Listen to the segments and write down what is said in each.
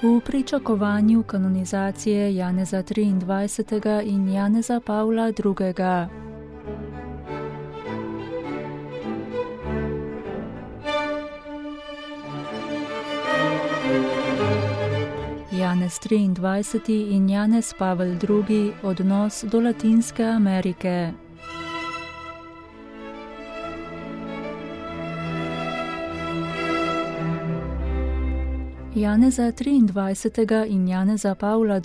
V pričakovanju kanonizacije Janeza 23. in Janeza Pavla II. Janez 23. in Janez Pavel II. Odnos do Latinske Amerike. Janeza 23. in Janeza Pavla II.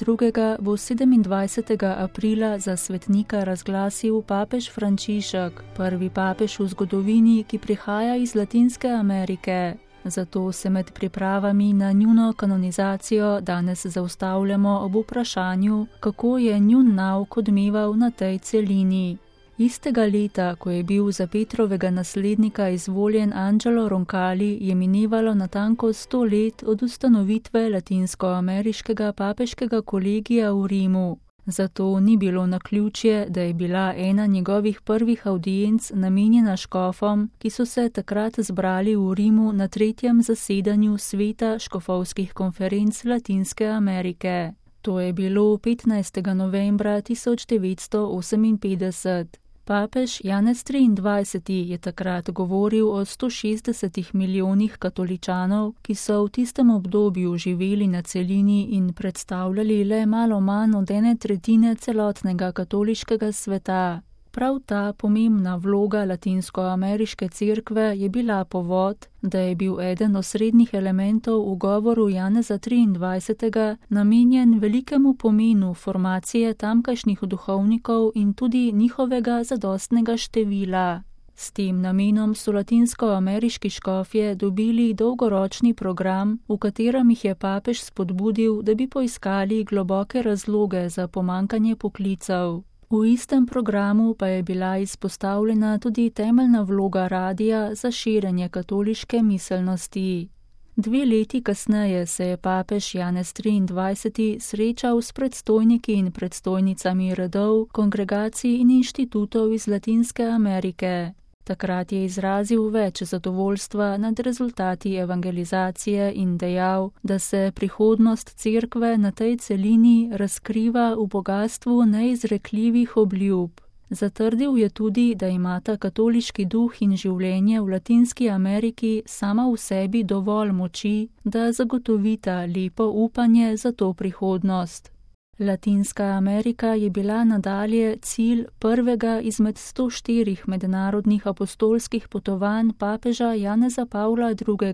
Bo 27. aprila za svetnika razglasil papež Frančišek, prvi papež v zgodovini, ki prihaja iz Latinske Amerike. Zato se med pripravami na njuno kanonizacijo danes zaustavljamo ob vprašanju, kako je njun nauk odmeval na tej celini. Istega leta, ko je bil za Petrovega naslednika izvoljen Angelo Roncalli, je minevalo natanko 100 let od ustanovitve latinskoameriškega papeškega kolegija v Rimu. Zato ni bilo naključje, da je bila ena njegovih prvih avdienc namenjena škofom, ki so se takrat zbrali v Rimu na 3. zasedanju sveta škofovskih konferenc Latinske Amerike. To je bilo 15. novembra 1958. Papež Janez 23. je takrat govoril o 160 milijonih katoličanov, ki so v tistem obdobju živeli na celini in predstavljali le malo manj od 1/3 celotnega katoliškega sveta. Prav ta pomembna vloga latinskoameriške cerkve je bila povod, da je bil eden osrednjih elementov v govoru Janeza 23. namenjen velikemu pomenu formacije tamkajšnjih duhovnikov in tudi njihovega zadostnega števila. S tem namenom so latinskoameriški škofje dobili dolgoročni program, v katerem jih je papež spodbudil, da bi poiskali globoke razloge za pomanjkanje poklicev. V istem programu pa je bila izpostavljena tudi temeljna vloga radija za širjenje katoliške miselnosti. 2 leti kasneje se je papež Janez 23. srečal s predstojniki in predstojnicami redov, kongregacij in inštitutov iz Latinske Amerike. Takrat je izrazil več zadovoljstva nad rezultati evangelizacije in dejal, da se prihodnost cerkve na tej celini razkriva v bogastvu neizrekljivih obljub. Zatrdil je tudi, da imata katoliški duh in življenje v Latinski Ameriki sama v sebi dovolj moči, da zagotovita lepo upanje za to prihodnost. Latinska Amerika je bila nadalje cilj prvega izmed 104 mednarodnih apostolskih potovanj papeža Janeza Pavla II.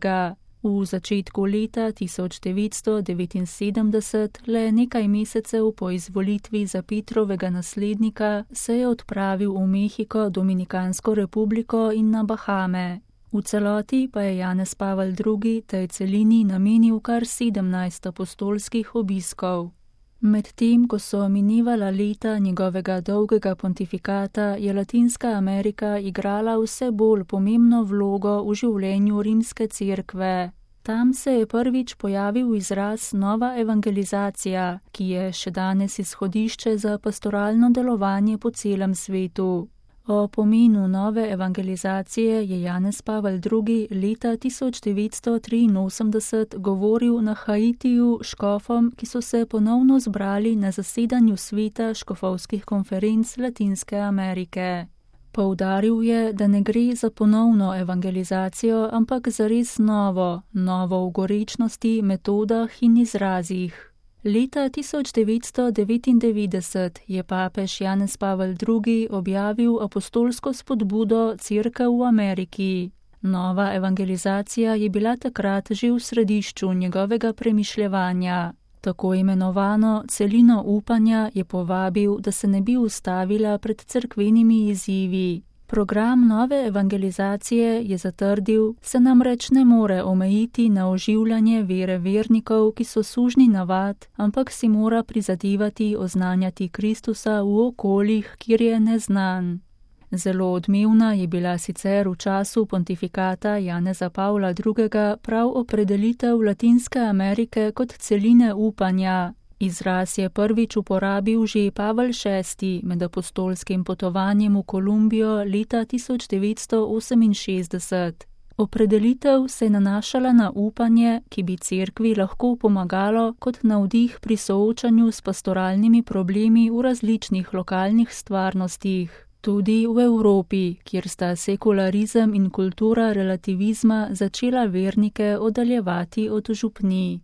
V začetku leta 1979, le nekaj mesecev po izvolitvi za Petrovega naslednika, se je odpravil v Mehiko, Dominikansko republiko in na Bahame. V celoti pa je Janez Pavel II. Tej celini namenil kar 17 apostolskih obiskov. Medtem, ko so minevala leta njegovega dolgega pontifikata, je Latinska Amerika igrala vse bolj pomembno vlogo v življenju rimske cerkve. Tam se je prvič pojavil izraz nova evangelizacija, ki je še danes izhodišče za pastoralno delovanje po celem svetu. O pomenu nove evangelizacije je Janez Pavel II. Leta 1983 govoril na Haitiju škofom, ki so se ponovno zbrali na zasedanju sveta škofovskih konferenc Latinske Amerike. Poudaril je, da ne gre za ponovno evangelizacijo, ampak za res novo v gorečnosti, metodah in izrazih. Leta 1999 je papež Janez Pavel II. Objavil apostolsko spodbudo Cerkev v Ameriki. Nova evangelizacija je bila takrat že v središču njegovega premišljevanja. Tako imenovano celino upanja je povabil, da se ne bi ustavila pred cerkvenimi izzivi. Program nove evangelizacije, je zatrdil, se namreč ne more omejiti na oživljanje vere vernikov, ki so sužnji navad, ampak si mora prizadevati oznanjati Kristusa v okoljih, kjer je neznan. Zelo odmevna je bila sicer v času pontifikata Janeza Pavla II. Prav opredelitev Latinske Amerike kot celine upanja. Izraz je prvič uporabil že Pavel VI med apostolskim potovanjem v Kolumbijo leta 1968. Opredelitev se je nanašala na upanje, ki bi cerkvi lahko pomagalo kot navdih pri soočanju s pastoralnimi problemi v različnih lokalnih stvarnostih. Tudi v Evropi, kjer sta sekularizem in kultura relativizma začela vernike oddaljevati od župnij.